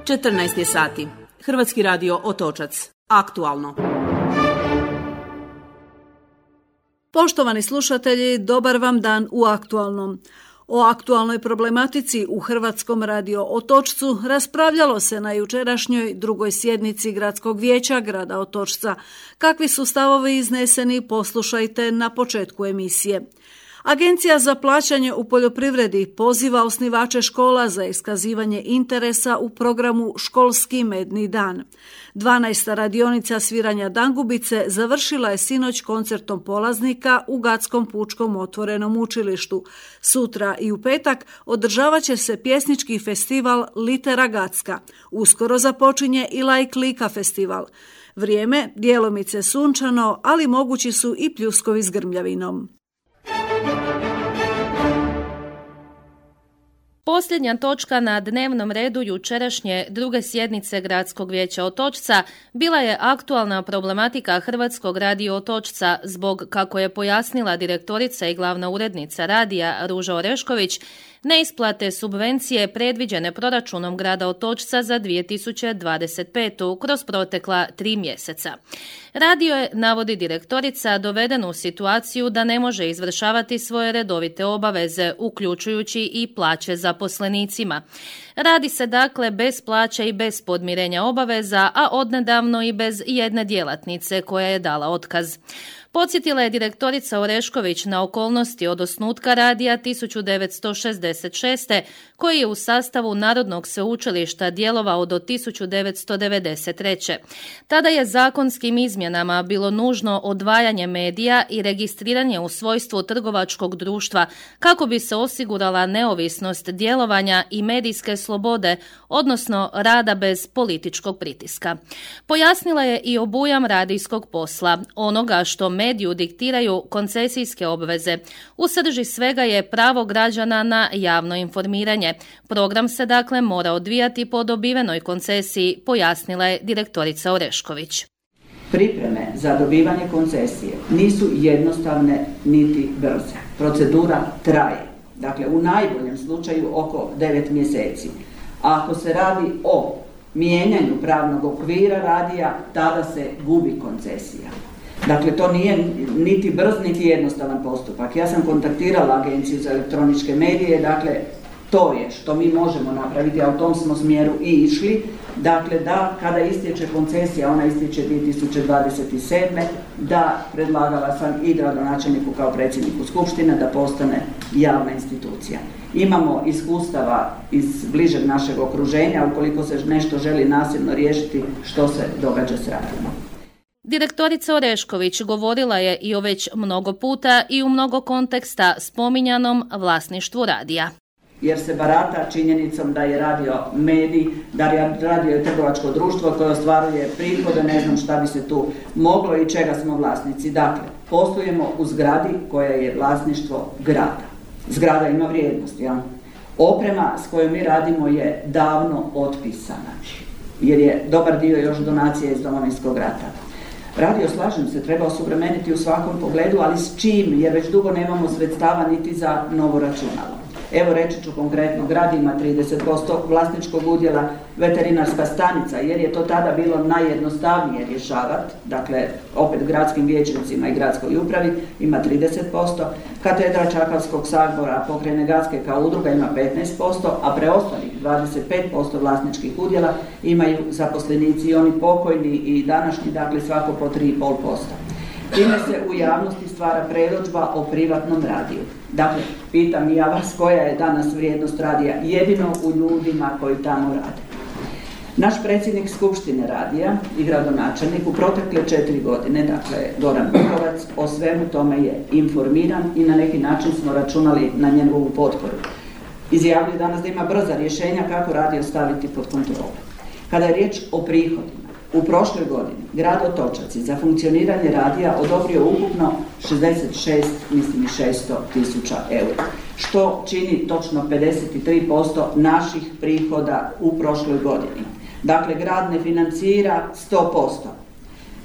14 je sati. Hrvatski radio Otočac. Aktualno. Poštovani slušatelji, dobar vam dan u Aktualnom. O aktualnoj problematici u Hrvatskom radio Otočcu raspravljalo se na jučerašnjoj drugoj sjednici Gradskog vijeća grada Otočca. Kakvi su stavovi izneseni, poslušajte na početku emisije. Agencija za plaćanje u poljoprivredi poziva osnivače škola za iskazivanje interesa u programu Školski medni dan. 12. radionica sviranja dangubice završila je sinoć koncertom polaznika u Gatskom pučkom otvorenom učilištu. Sutra i u petak održavat će se pjesnički festival Litera Gatska. Uskoro započinje i Laik Lika festival. Vrijeme djelomice sunčano, ali mogući su i pljuskovi s grmljavinom. Posljednja točka na dnevnom redu jučerašnje druge sjednice Gradskog vijeća Otočca bila je aktualna problematika Hrvatskog radio Otočca zbog, kako je pojasnila direktorica i glavna urednica radija Ruža Orešković, neisplate subvencije predviđene proračunom grada Otočca za 2025. kroz protekla 3 mjeseca. Radio je, navodi direktorica, doveden u situaciju da ne može izvršavati svoje redovite obaveze, uključujući i plaće zaposlenicima. Radi se dakle bez plaće i bez podmirenja obaveza, a odnedavno i bez jedne djelatnice koja je dala otkaz. Podsjetila je direktorica Orešković na okolnosti od osnutka radija 1966. koji je u sastavu Narodnog sveučilišta djelovao do 1993. Tada je zakonskim izmjenama bilo nužno odvajanje medija i registriranje u svojstvu trgovačkog društva kako bi se osigurala neovisnost djelovanja i medijske slobode, odnosno rada bez političkog pritiska. Pojasnila je i obujam radijskog posla, onoga što mediju diktiraju koncesijske obveze. U srži svega je pravo građana na javno informiranje. Program se dakle mora odvijati po dobivenoj koncesiji, pojasnila je direktorica Orešković. Pripreme za dobivanje koncesije nisu jednostavne niti brze. Procedura traje. Dakle, u najboljem slučaju oko 9 mjeseci. A ako se radi o mijenjanju pravnog okvira radija, tada se gubi koncesija. Dakle, to nije niti brz, niti jednostavan postupak. Ja sam kontaktirala Agenciju za elektroničke medije, dakle, to je što mi možemo napraviti, a u tom smo smjeru i išli. Dakle, da kada istječe koncesija, ona istječe 2027. da predlagala sam i gradonačelniku kao predsjedniku skupštine da postane javna institucija. Imamo iskustava iz bližeg našeg okruženja, ukoliko se nešto želi nasilno riješiti, što se događa s radijom. Direktorica Orešković govorila je i o već mnogo puta i u mnogo konteksta spominjanom vlasništvu radija. Jer se barata činjenicom da je radio medij, da je radio trgovačko društvo koje ostvaruje prihode, ne znam šta bi se tu moglo i čega smo vlasnici. Dakle, poslujemo u zgradi koja je vlasništvo grada. Zgrada ima vrijednost, ja? Oprema s kojom mi radimo je davno otpisana, jer je dobar dio još donacija iz Domovinskog rata. Radio, slažem se, treba osuvremeniti u svakom pogledu, ali s čim, jer već dugo nemamo sredstava niti za novo računalo. Evo, reći ću konkretno, grad ima 30% vlasničkog udjela veterinarska stanica, jer je to tada bilo najjednostavnije rješavati, dakle, opet gradskim vijećnicima i gradskoj upravi ima 30%, katedra Čakavskog sabora pokrajine Gatske kao udruga ima 15%, a preostalih 25% vlasničkih udjela imaju zaposlenici i oni pokojni i današnji, dakle, svako po 3,5%. Time se u javnosti stvara predodžba o privatnom radiju. Dakle, pitam i ja vas koja je danas vrijednost radija, jedino u ljudima koji tamo rade. Naš predsjednik Skupštine radija i gradonačelnik u protekle 4 godine, dakle Goran Bukovac, o svemu tome je informiran i na neki način smo računali na njegovu potporu. Izjavljuje danas da ima brza rješenja kako radio staviti pod kontrolu. Kada je riječ o prihodima, u prošloj godini grad Otočac je za funkcioniranje radija odobrio ukupno 66.600.000 eura, što čini točno 53% naših prihoda u prošloj godini. Dakle, grad ne financira 100%.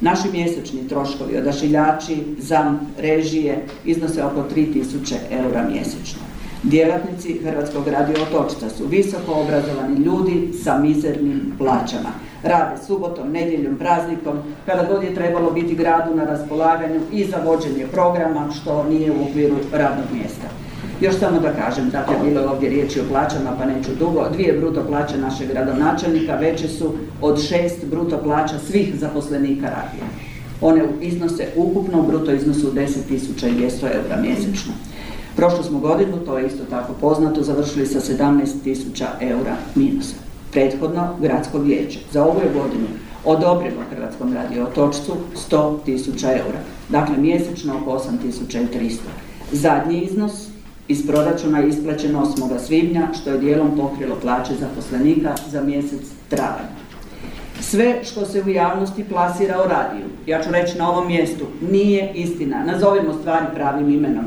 Naši mjesečni troškovi, odašiljači, ZAMP, režije iznose oko 3.000 eura mjesečno. Djelatnici Hrvatskog radio Otočca su visoko obrazovani ljudi sa mizernim plaćama. Rade subotom, nedjeljom, praznikom, kada god je trebalo biti gradu na raspolaganju i za vođenje programa, što nije u okviru radnog mjesta. Još samo da kažem, dakle, bilo je ovdje riječi o plaćama, pa neću dugo. 2 bruto plaće našeg gradonačelnika veće su od 6 bruto plaća svih zaposlenika radija. One iznose ukupno u bruto iznosu 10.200 eura mjesečno. Prošlu smo godinu, to je isto tako poznato, završili sa 17.000 eura minusa. Prethodno, gradsko vijeće za ovu je godinu odobrilo Hrvatskom radio Otočcu 100.000 eura, dakle mjesečno oko 8.300. Zadnji iznos iz proračuna je isplaćen 8. svibnja, što je dijelom pokrilo plaće zaposlenika za mjesec travanj. Sve što se u javnosti plasira o radiju, ja ću reći na ovom mjestu, nije istina. Nazovimo stvari pravim imenom.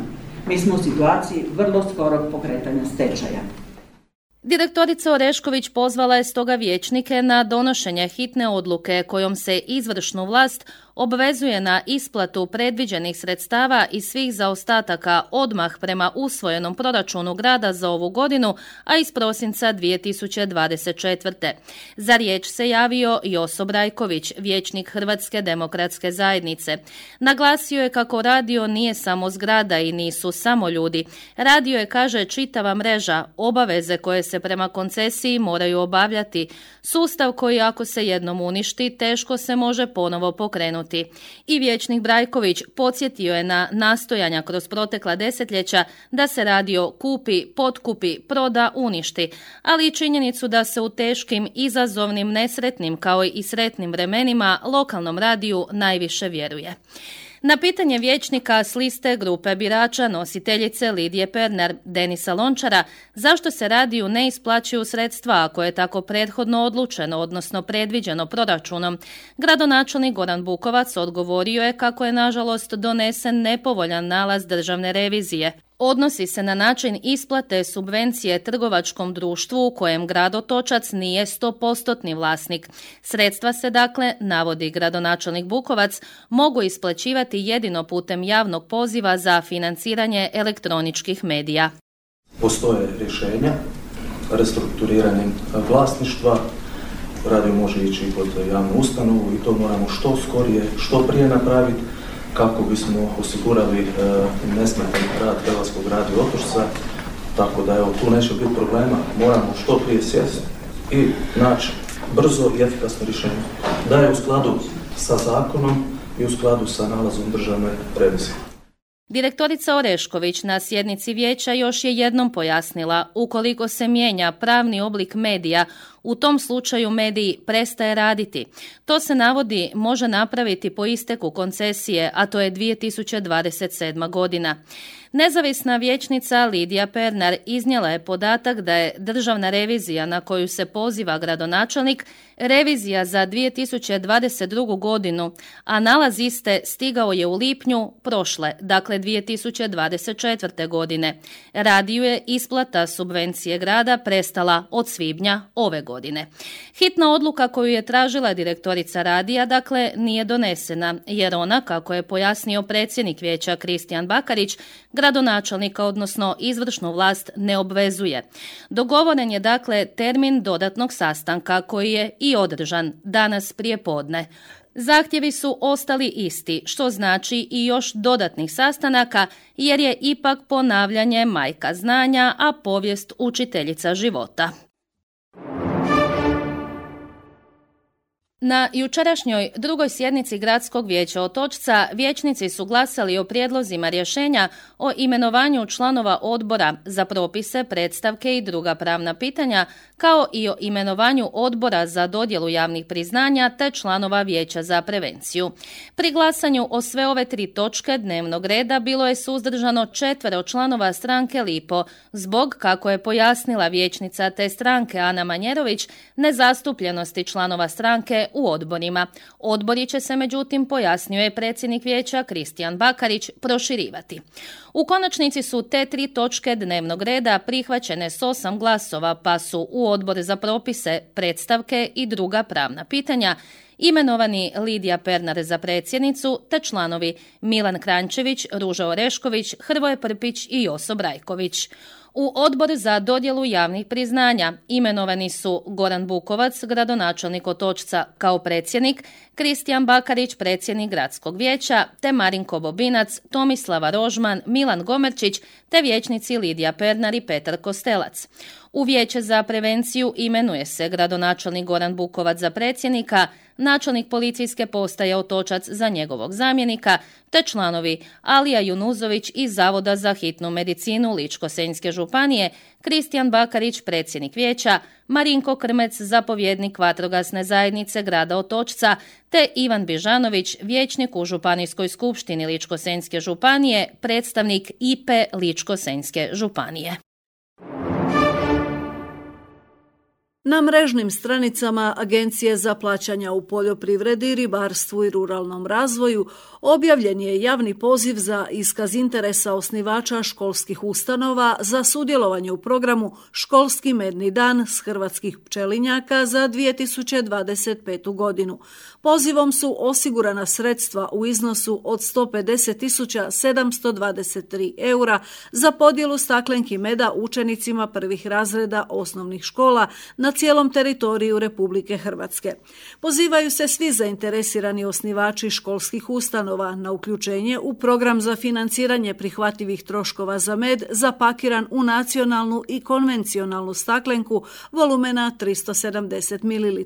Mi smo u situaciji vrlo skorog pokretanja stečaja. Direktorica Orešković pozvala je stoga vijećnike na donošenje hitne odluke kojom se izvršnu vlast obvezuje na isplatu predviđenih sredstava i svih zaostataka odmah prema usvojenom proračunu grada za ovu godinu, a iz prosinca 2024. Za riječ se javio Joso Brajković, vijećnik Hrvatske demokratske zajednice. Naglasio je kako radio nije samo zgrada i nisu samo ljudi. Radio je, kaže, čitava mreža, obaveze koje se prema koncesiji moraju obavljati, sustav koji ako se jednom uništi, teško se može ponovo pokrenuti. I vijećnik Brajković podsjetio je na nastojanja kroz protekla desetljeća da se radio kupi, potkupi, proda, uništi, ali i činjenicu da se u teškim, izazovnim, nesretnim kao i sretnim vremenima lokalnom radiju najviše vjeruje. Na pitanje vijećnika s liste grupe birača nositeljice Lidije Pernar, Denisa Lončara, zašto se radiju ne isplaćuju sredstva ako je tako prethodno odlučeno, odnosno predviđeno proračunom, gradonačelnik Goran Bukovac odgovorio je kako je nažalost donesen nepovoljan nalaz državne revizije. Odnosi se na način isplate subvencije trgovačkom društvu u kojem grad Otočac nije 100% vlasnik. Sredstva se, dakle, navodi gradonačelnik Bukovac, mogu isplaćivati jedino putem javnog poziva za financiranje elektroničkih medija. Postoje rješenja, restrukturiranjem vlasništva, radio može ići pod javnu ustanovu i to moramo što skorije, što prije napraviti, kako bismo osigurali nesmetan rad Hrvatskog radio Otočca, tako da evo, tu neće biti problema, moramo što prije sjesti i naći brzo i efikasno rješenje, da je u skladu sa zakonom i u skladu sa nalazom državne revizije. Direktorica Orešković na sjednici vijeća još je jednom pojasnila, ukoliko se mijenja pravni oblik medija, u tom slučaju medij prestaje raditi. To se navodi može napraviti po isteku koncesije, a to je 2027. godina. Nezavisna vijećnica Lidija Pernar iznijela je podatak da je državna revizija na koju se poziva gradonačelnik revizija za 2022. godinu, a nalaz iste stigao je u lipnju prošle, dakle 2024. godine. Radiju je isplata subvencije grada prestala od svibnja ove godine. Hitna odluka koju je tražila direktorica radija, dakle, nije donesena, jer ona, kako je pojasnio predsjednik vijeća Kristijan Bakarić, gradonačelnika, odnosno izvršnu vlast, ne obvezuje. Dogovoren je, dakle, termin dodatnog sastanka koji je i održan danas prije podne. Zahtjevi su ostali isti, što znači i još dodatnih sastanaka, jer je ipak ponavljanje majka znanja, a povijest učiteljica života. Na jučerašnjoj drugoj sjednici Gradskog vijeća Otočca vijećnici su glasali o prijedlozima rješenja o imenovanju članova odbora za propise, predstavke i druga pravna pitanja, kao i o imenovanju odbora za dodjelu javnih priznanja te članova vijeća za prevenciju. Pri glasanju o sve ove 3 točke dnevnog reda bilo je suzdržano 4 članova stranke Lipo, zbog, kako je pojasnila vijećnica te stranke Ana Manjerović, nezastupljenosti članova stranke u odborima. Odbori će se, međutim, pojasnjuje predsjednik vijeća Kristijan Bakarić, proširivati. U konačnici su te 3 točke dnevnog reda prihvaćene s 8 glasova, pa su u odbor za propise, predstavke i druga pravna pitanja imenovani Lidija Pernar za predsjednicu te članovi Milan Kranjčević, Ruža Orešković, Hrvoje Prpić i Joso Brajković. U odbor za dodjelu javnih priznanja imenovani su Goran Bukovac, gradonačelnik Otočca, kao predsjednik, Kristijan Bakarić, predsjednik gradskog vijeća, te Marinko Bobinac, Tomislava Rožman, Milan Gomerčić, te vijećnici Lidija Pernar i Petar Kostelac. U vijeće za prevenciju imenuje se gradonačelnik Goran Bukovac za predsjednika, načelnik policijske postaje Otočac za njegovog zamjenika, te članovi Alija Junuzović iz Zavoda za hitnu medicinu Ličko-senjske županije, Kristijan Bakarić, predsjednik vijeća, Marinko Krmec, zapovjednik vatrogasne zajednice grada Otočca, te Ivan Bižanović, vijećnik u Županijskoj skupštini Ličko-senjske županije, predstavnik IP Ličko-senjske županije. Na mrežnim stranicama Agencije za plaćanja u poljoprivredi, ribarstvu i ruralnom razvoju objavljen je javni poziv za iskaz interesa osnivača školskih ustanova za sudjelovanje u programu Školski medni dan s hrvatskih pčelinjaka za 2025. godinu. Pozivom su osigurana sredstva u iznosu od 150.723 eura za podjelu staklenki meda učenicima prvih razreda osnovnih škola na cijelom teritoriju Republike Hrvatske. Pozivaju se svi zainteresirani osnivači školskih ustanova na uključenje u program za financiranje prihvatljivih troškova za med zapakiran u nacionalnu i konvencionalnu staklenku volumena 370 ml.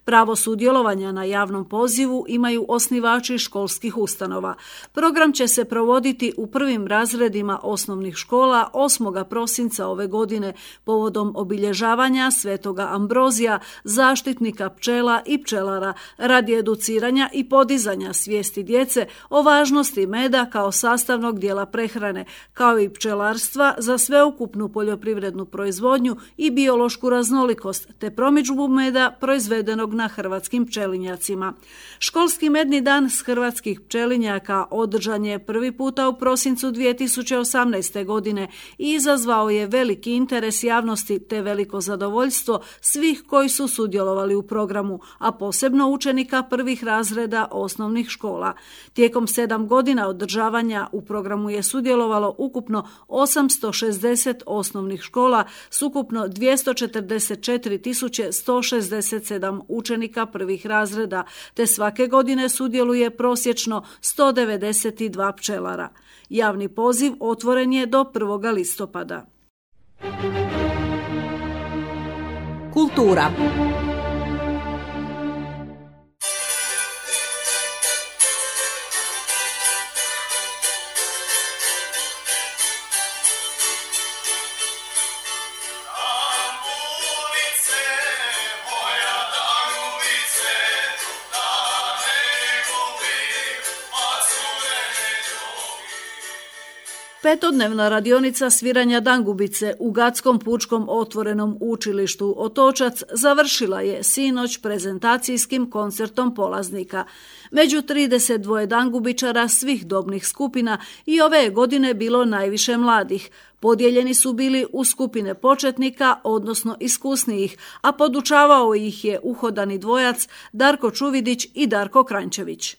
Pravo sudjelovanja na javnom pozivu imaju osnivači školskih ustanova. Program će se provoditi u prvim razredima osnovnih škola 8. prosinca ove godine povodom obilježavanja Svetoga Ambrozija, zaštitnika pčela i pčelara, radi educiranja i podizanja svijesti djece o važnosti meda kao sastavnog dijela prehrane, kao i pčelarstva za sveukupnu poljoprivrednu proizvodnju i biološku raznolikost, te promidžbu meda proizvedenog na hrvatskim pčelinjacima. Školski medni dan s hrvatskih pčelinjaka održan je prvi puta u prosincu 2018. godine i izazvao je veliki interes javnosti te veliko zadovoljstvo svih koji su sudjelovali u programu, a posebno učenika prvih razreda osnovnih škola. Tijekom 7 godina održavanja u programu je sudjelovalo ukupno 860 osnovnih škola s ukupno 244.167 učenika prvih razreda, te svake godine sudjeluje prosječno 192 pčelara. Javni poziv otvoren je do 1. listopada. Kultura. Petodnevna radionica sviranja dangubice u Gatskom pučkom otvorenom učilištu Otočac završila je sinoć prezentacijskim koncertom polaznika. Među 32 dangubičara svih dobnih skupina i ove je godine bilo najviše mladih. Podijeljeni su bili u skupine početnika, odnosno iskusnijih, a podučavao ih je uhodani dvojac Darko Čuvidić i Darko Krančević.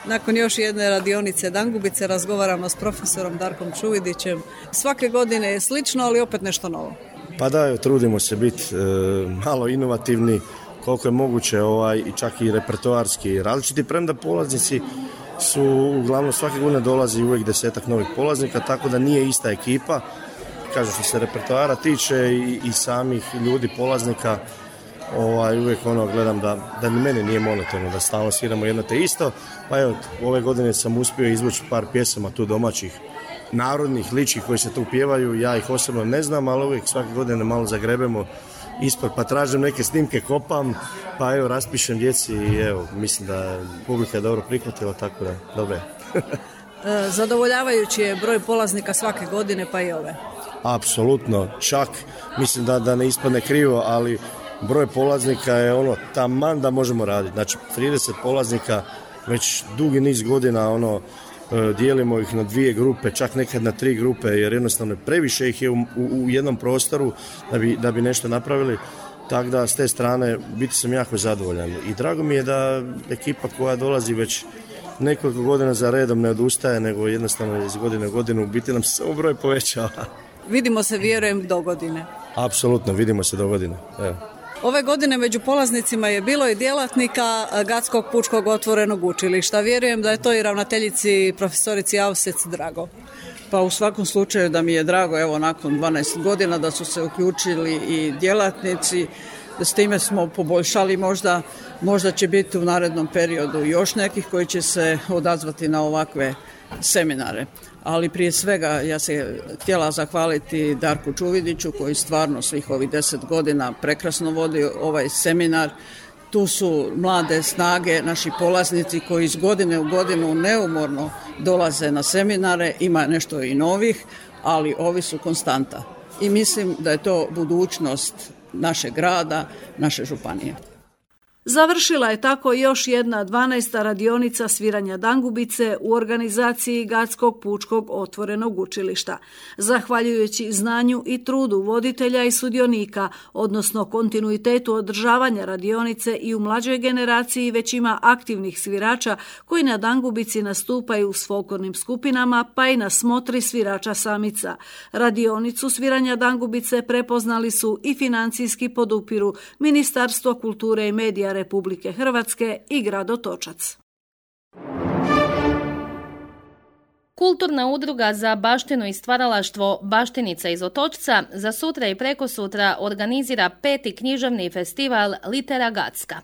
Nakon još jedne radionice dangubice razgovaramo s profesorom Darkom Čuvidićem. Svake godine je slično, ali opet nešto novo. Pa da, trudimo se biti malo inovativni, koliko je moguće i čak i repertoarski različiti, premda polaznici su uglavnom svake godine dolazi uvijek 10-ak novih polaznika, tako da nije ista ekipa. Kažem, što se repertoara tiče i samih ljudi polaznika, uvijek gledam da ni meni nije monotono, da stalno sviramo jedno te isto. Pa evo, ove godine sam uspio izvući par pjesama tu domaćih narodnih lički koji se tu pjevaju, ja ih osobno ne znam, ali uvijek svake godine malo zagrebemo ispod, pa tražim neke snimke, kopam, pa evo raspišem djeci i evo, mislim da publika je dobro prihvatila, tako da dobro je. Zadovoljavajući je broj polaznika svake godine, pa i ove. Apsolutno, čak mislim da ne ispadne krivo, ali broj polaznika je taman da možemo raditi. Znači 30 polaznika već dugi niz godina dijelimo ih na 2 grupe, čak nekad na 3 grupe, jer jednostavno previše ih je u jednom prostoru da bi nešto napravili. Tako da s te strane biti sam jako zadovoljan. I drago mi je da ekipa koja dolazi već nekoliko godina za redom ne odustaje, nego jednostavno iz godine u godinu biti nam se samo broj povećava. Vidimo se, vjerujem, do godine. Apsolutno, vidimo se do godine. Evo. Ove godine među polaznicima je bilo i djelatnika Gatskog pučkog otvorenog učilišta. Vjerujem da je to i ravnateljici profesorici Avsec drago. Pa u svakom slučaju da mi je drago, evo nakon 12 godina da su se uključili i djelatnici, s time smo poboljšali, možda će biti u narednom periodu još nekih koji će se odazvati na ovakve seminare. Ali prije svega ja se htjela zahvaliti Darku Čuvidiću koji stvarno svih ovih 10 godina prekrasno vodi ovaj seminar. Tu su mlade snage, naši polaznici koji iz godine u godinu neumorno dolaze na seminare, ima nešto i novih, ali ovi su konstanta. I mislim da je to budućnost našeg grada, naše županije. Završila je tako još jedna 12. radionica sviranja dangubice u organizaciji Gatskog pučkog otvorenog učilišta. Zahvaljujući znanju i trudu voditelja i sudionika, odnosno kontinuitetu održavanja radionice i u mlađoj generaciji već ima aktivnih svirača koji na dangubici nastupaju s folklornim skupinama pa i na smotri svirača samica. Radionicu sviranja dangubice prepoznali su i financijski podupiru Ministarstvo kulture i medija Republike Hrvatske i grad Otočac. Kulturna udruga za baštinu i stvaralaštvo Baštenica iz Otočca za sutra i prekosutra organizira 5. književni festival Litera Gatska.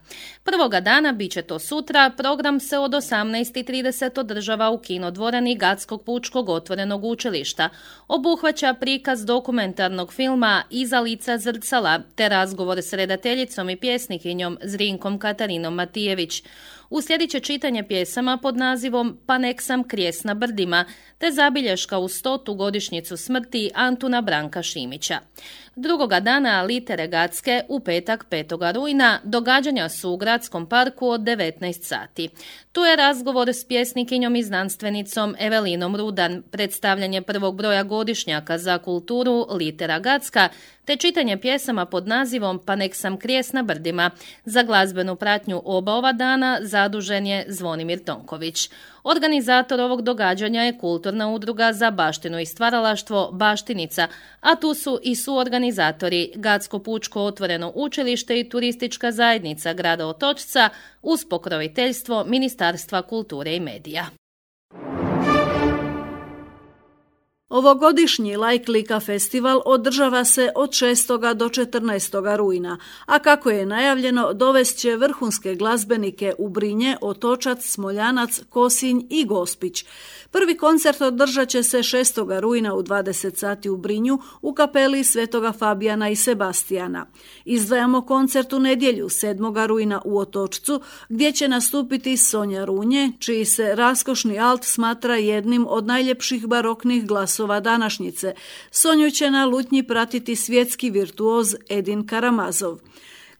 Prvoga dana, bit će to sutra, program se od 18:30 održava u kinodvorani Gatskog pučkog otvorenog učilišta. Obuhvaća prikaz dokumentarnog filma Iza lica zrcala te razgovor s redateljicom i pjesnikinjom Zrinkom Katarinom Matijević. Uslijedit će čitanje pjesama pod nazivom Pa nek sam krijes na brdima, te zabilješka u 100. godišnjicu smrti Antuna Branka Šimića. Drugoga dana Litere Gatske u petak 5. rujna događanja su u Gradskom parku od 19 sati. Tu je razgovor s pjesnikinjom i znanstvenicom Evelinom Rudan, predstavljanje prvog broja godišnjaka za kulturu Litera Gatska, te čitanje pjesama pod nazivom Pa nek sam krijes na brdima. Za glazbenu pratnju oba ova dana zadužen je Zvonimir Tonković. Organizator ovog događanja je Kulturna udruga za baštinu i stvaralaštvo Baštenica, a tu su i suorganizatori Gatsko pučko otvoreno učilište i turistička zajednica grada Otočca uz pokroviteljstvo Ministarstva kulture i medija. Ovogodišnji Lajklika festival održava se od 6. do 14. rujna, a kako je najavljeno, dovest će vrhunske glazbenike u Brinje, Otočac, Smoljanac, Kosinj i Gospić. Prvi koncert održat će se 6. rujna u 20 sati u Brinju u kapeli Svetoga Fabijana i Sebastijana. Izdvajamo koncert u nedjelju 7. rujna u Otočcu gdje će nastupiti Sonja Runje, čiji se raskošni alt smatra jednim od najljepših baroknih glasova današnjice. Sonju će na lutnji pratiti svjetski virtuoz Edin Karamazov.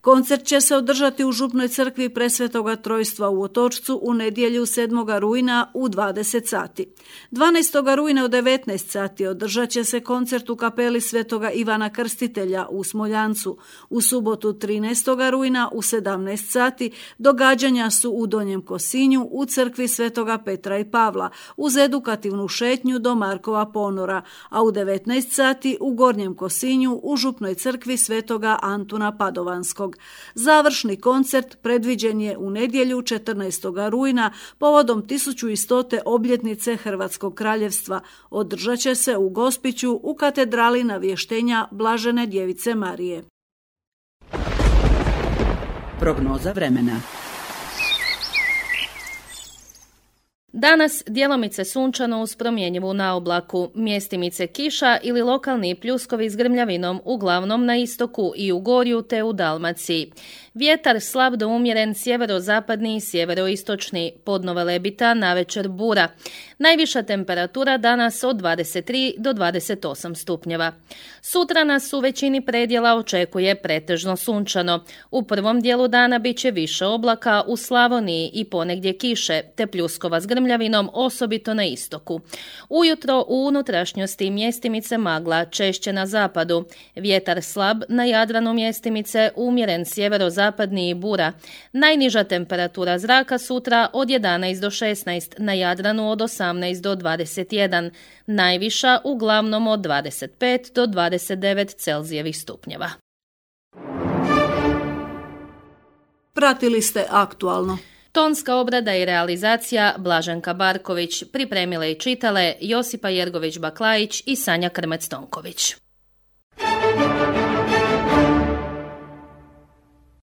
Koncert će se održati u Župnoj crkvi Presvetoga Trojstva u Otočcu u nedjelju 7. rujna u 20 sati. 12. rujna u 19 sati održat će se koncert u kapeli Svetoga Ivana Krstitelja u Smoljancu. U subotu 13. rujna u 17 sati događanja su u Donjem Kosinju u crkvi Svetoga Petra i Pavla uz edukativnu šetnju do Markova ponora, a u 19 sati u Gornjem Kosinju u Župnoj crkvi Svetoga Antuna Padovanskog. Završni koncert predviđen je u nedjelju 14. rujna povodom 1100. obljetnice Hrvatskog kraljevstva. Održat će se u Gospiću u katedrali Navještenja Blažene Djevice Marije. Prognoza vremena. Danas djelomice sunčano uz promjenjivu naoblaku, mjestimice kiša ili lokalni pljuskovi s grmljavinom uglavnom na istoku i u Gorju te u Dalmaciji. Vjetar slab do umjeren sjeverozapadni i sjeveroistočni, podno Velebita, navečer bura. Najviša temperatura danas od 23 do 28 stupnjeva. Sutra nas u većini predjela očekuje pretežno sunčano. U prvom dijelu dana bit će više oblaka u Slavoniji i ponegdje kiše, te pljuskova s grmljavinom, osobito na istoku. Ujutro u unutrašnjosti mjestimice magla, češće na zapadu. Vjetar slab, na Jadranu mjestimice umjeren sjeverozapadni i bura. Najniža temperatura zraka sutra od 11 do 16, na Jadranu od 18 do 21, najviša uglavnom od 25 do 29 Celzijevih stupnjeva. Pratili ste Aktualno. Tonska obrada i realizacija Blaženka Barković, pripremile i čitale Josipa Jergović-Baklajić i Sanja Krmec-Tonković.